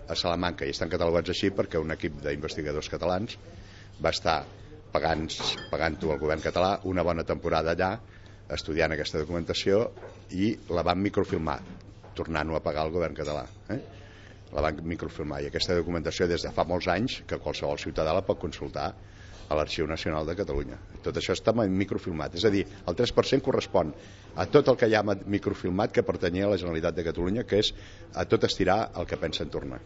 a Salamanca, i estan catalogats així perquè un equip d'investigadors catalans va estar pagant-ho al govern català una bona temporada allà estudiant aquesta documentació i la van microfilmar, tornant-ho a pagar al govern català. La van microfilmar, i aquesta documentació des de fa molts anys que qualsevol ciutadà la pot consultar a l'Arxiu Nacional de Catalunya. Tot això està microfilmat, és a dir, el 3% correspon a tot el que hi ha microfilmat que pertanyia a la Generalitat de Catalunya, que és a tot estirar el que pensen tornar.